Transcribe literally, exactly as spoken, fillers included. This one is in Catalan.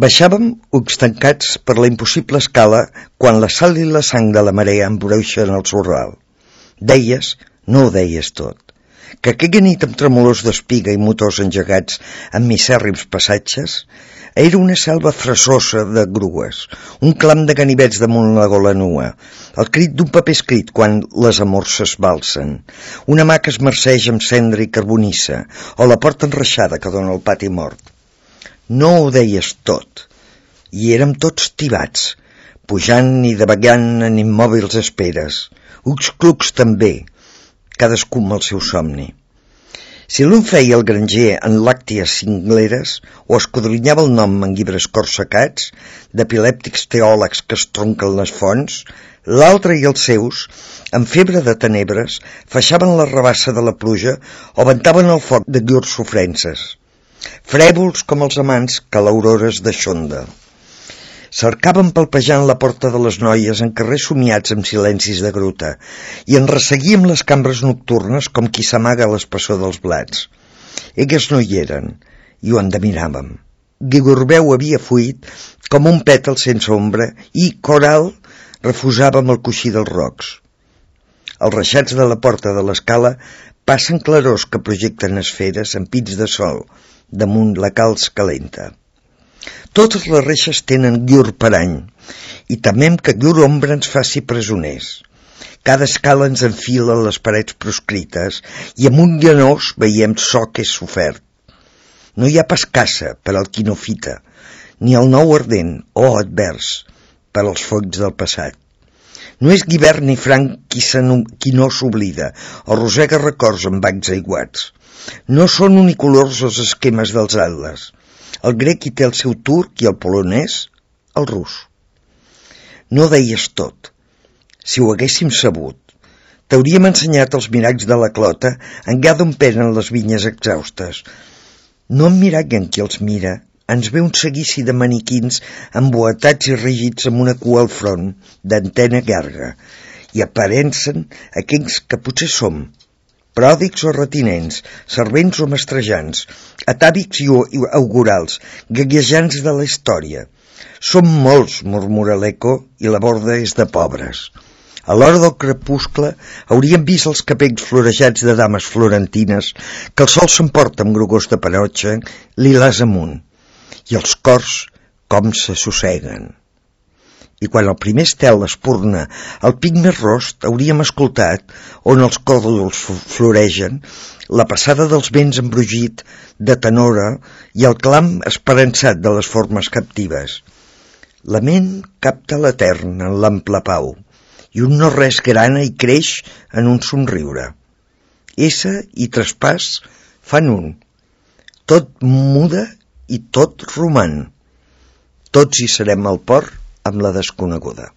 Baixàvem ulls tancats per la impossible escala quan la sal i la sang de la marea embruixen el sorral. Deies, no ho deies tot, que aquella nit amb tremolors d'espiga i motors engegats en misèrrims passatges era una selva fresosa de grues, un clam de ganivets damunt la gola nua, el crit d'un paper escrit quan les amorces balsen, una mà que es marceja amb cendra i carbonissa, o la porta enreixada que dona al pati mort. No ho deies tot, i érem tots tibats, pujant i davagant en immòbils esperes, ulls clucs també, cadascú amb el seu somni. Si l'un feia el granger en làcties cingleres o escudrinyava el nom en llibres corsacats d'epilèptics teòlegs que es tronquen les fonts, l'altre i els seus, en febre de tenebres, feixaven la rabassa de la pluja o ventaven el foc de llurs sofrences, frèvols com els amants que a l'aurora es deixonda. Cercaven palpejant la porta de les noies en carrers somiats amb silencis de gruta i en resseguíem les cambres nocturnes com qui s'amaga a l'espessor dels blats. Elles no hi eren i ho endevinàvem. Guigorbeu havia fuit com un pètal sense ombra i Coral refusava amb el coixí dels rocs. Els reixats de la porta de l'escala passen clarors que projecten esferes amb pits de sol damunt la calç calenta. Totes les reixes tenen llur parany i temem que llur ombra ens faci presoners. Cada escala ens enfila les parets proscrites i amb un llanós veiem so que és sofert. No hi ha pas caça per al qui no fita, ni el nou ardent o advers per als focs del passat. No és Guibert ni Franc qui, qui no s'oblida o rosega records amb bancs aiguats. No són unicolors els esquemes dels atles. El grec hi té el seu turc i el polonès el rus. No deies tot. Si ho haguéssim sabut, t'hauríem ensenyat els miralls de la clota en llà d'on penen les vinyes exhaustes. No emmirallen qui els mira, ens ve un seguici de maniquins emboatats i rígids amb una cua al front, d'antena llarga, i aparencen aquells que potser som, pròdics o retinents, servents o mestrejants, atàvics i augurals, gaguejants de la història. Som molts, murmura l'eco, i la borda és de pobres. A l'hora del crepuscle hauríem vist els capells florejats de dames florentines que el sol s'emporta amb grogors de panotxa, lilàs amunt, i els cors com s'assosseguen. I quan el primer estel espurna el pic més rost hauríem escoltat, on els còdols floregen, la passada dels vents embrogit de tenora i el clam esperançat de les formes captives. La ment capta l'etern en l'ample pau i un no-res grana i creix en un somriure. Essa i traspàs fan un. Tot muda i tot roman. Tots hi serem al port amb la desconeguda.